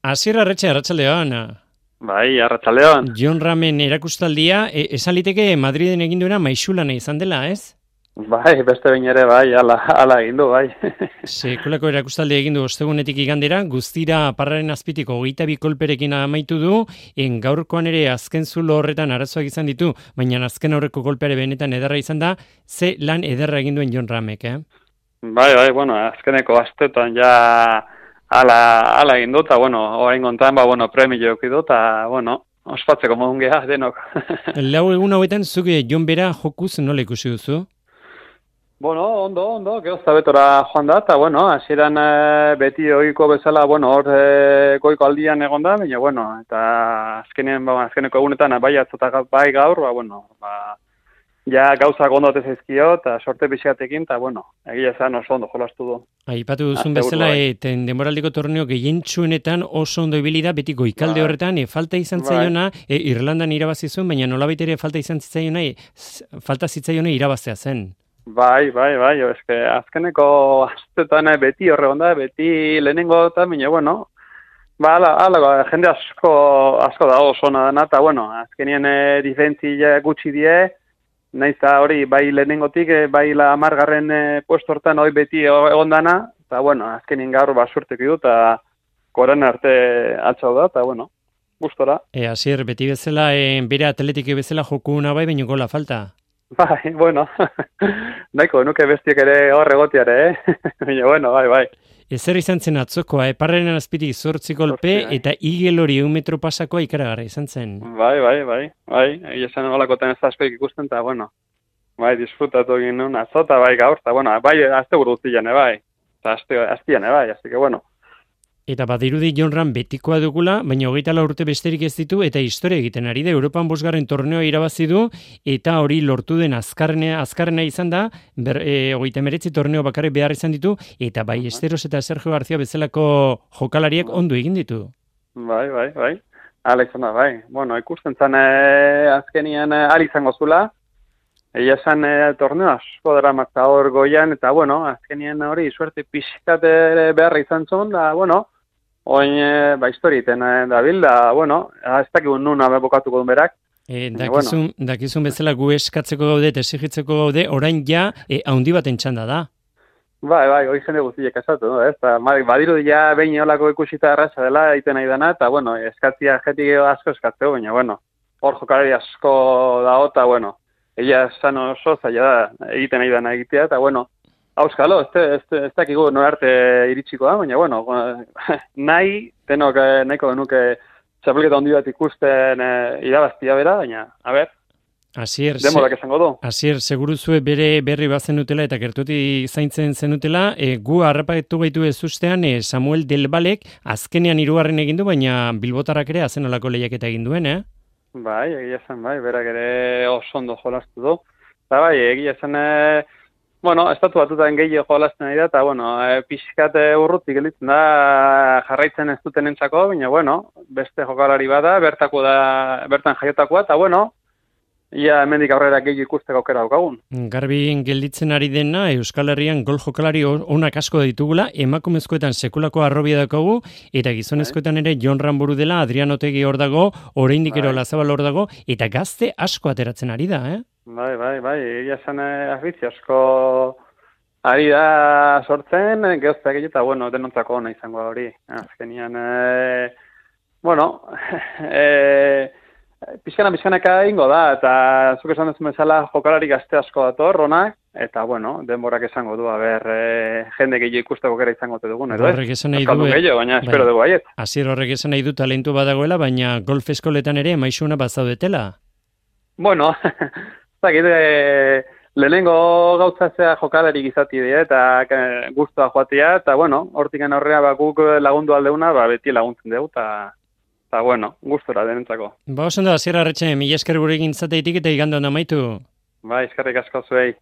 Asier Arretxe, arratsaldeon. Bai, arratsaldeon. Jon Ramen erakustaldia, esan liteke Madriden egin duena maixulana izan dela, ez? Bai, beste behin ere, bai, ala egin du, bai. Sekulako erakustaldia egin du ostegunetik igandera, guztira parraren azpitiko 22 kolperekin amaitu du, gaurkoan ere azken zulo horretan arazoak izan ditu, baina azken aurreko kolpeare benetan ederra izan da, ze lan ederra egin duen Jon Ramek, Bai, bueno, azkeneko astetan ja ala egin du, eta, bueno, orain kontan, premio eduki du, eta, ospatzeko modun geha, denok. Lau egun hauetan, zuk Jon bera jokuz nola ikusi duzu? Ondo, gehozta betora joan da, eta, hasieran beti ohiko bezala, hor goiko aldian egon da, baina, eta azkeneko egunetan, bai atzota bai gaur, ja gauzak ondo zaizkio, eta sorte pixatekin, eta, egia esan oso ondo jolastu du. Aipatu duzun bezala, denboraldiko torneo gehientsuenetan oso ondo ibili da, beti goikalde horretan, falta izan zaiona, Irlandan irabazi zuen, baina nolabait ere falta zitzaiona irabaztea zen. Bai, eske azkeneko astetan beti horre onda, beti lehenengo eta, ala, jende asko da oso nadana, eta, azkenien difentzia gutxi die, naiz da hori, bai lehenengotik, bai la 10. Puesto hortan hori beti egon dana, eta, azkenien gaur basurtek du, eta koran arte atxau da, eta, gustora. Asier, beti bezala, bere atletike bezala jokuna bai, baina gola falta. Bai, nahiko, nuke bestiek ere hor egotiare, baina, bai. Ezer izan zen atzokoa, parraren azpitik 8 kolpe eta igel hori 1 metro pasakoa ikaragarra izan zen. Bai, egia zen olakotan ez askoik ikusten, eta, bai, disfrutatu egin nuen azota, bai, gaur, eta, bai, azte guruztian, bai, eta aztian, bai, azte que, Eta badirudi Jon Ram betikoa dugula, baina 24 urte besterik ez ditu, eta historia egiten ari da, Europan 5. torneoa irabazi du, eta hori lortu den azkarrena izan da, 39 torneo bakarrik behar izan ditu, eta bai Esteros eta Sergio García bezalako jokalariek ondo egin ditu. Bai. Ala izan da, bai. Ikusten zan azkenian izango zula, egia esan torneo asko dara mazta hor goian, eta, azkenian hori suerte pixkat beharra izan zuen, da, oin, historiten dabil, da, ez dakigun nuna bokatuko duen berak. Dakizun bezala gu eskatzeko gaude, esigitzeko gaude, orain ja, haundi baten txanda da. Bai, hori jende guztiek esatu, ez? Badiru ja behin olako ikusita erraza dela, egiten nahi dena, eta, eskatzia jetik asko eskatzeko, baina, hor jokalari asko dago, eta, egia esan oso zaila da egiten nahi dena egitea, eta, auskalo, ez dakigu norarte iritsiko da, baina, nahi, tenok nahiko genuke txapelketa handi bat ikusten irabaztia bera, baina, a ber, demorak esango du. Asier, seguru zue bere berri bat zenutela eta gertuti zaintzen zenutela, gu harrapatu gaitu ez ustean Samuel Delbalek azkenean 3. egin du, baina Bilbotarrak ere azenolako lehiaketa egin duen, Bai, egia zen, berak ere oso ondo jolastu du. Eta bai, egia zen, estatu batutan gehiago jolasten nahi da, eta, pixkat urrutik gelditzen da jarraitzen ez duten entzako, baina, beste jokalari bada, bertan jaiotakoa, eta, ia hemendik aurrera gehiago ikusteko aukera daukagun. Garbi gelditzen ari dena, Euskal Herrian gol jokalari onak asko ditugula, emakumezkoetan sekulako arrobia daukagu, eta gizonezkoetan ere Jon Ram buru dela, Adrian Otegi hor dago, oraindik ero Lazabal hor dago, eta gazte asko ateratzen ari da, Bai, egia zen afizio asko ari da sortzen, gehoztak egita, denontzako ona izango hori. Azkenian, pixkanaka ingo da, eta zuk esan duzun bezala jokalari gazte asko dator, ronak, eta, denborak esango du, jende gehiago ikusteko kera izango dugun, edo horrek esan nahi du, baina espero dugu aiet. Asier, horrek esan nahi du talentu badagoela, baina golf eskoletan ere maixuna bazaudetela? Lehenengo gauzatzea jokalari gizati dira, eta guztua joatea, eta, hortikan aurrea guk lagundu aldeuna, beti laguntzen dugu, eta, gustora denentzako. Oso ondo, Asier Arretxe, mila esker gurekin zateitik eta igandon amaitu. Eskerrik asko zuei.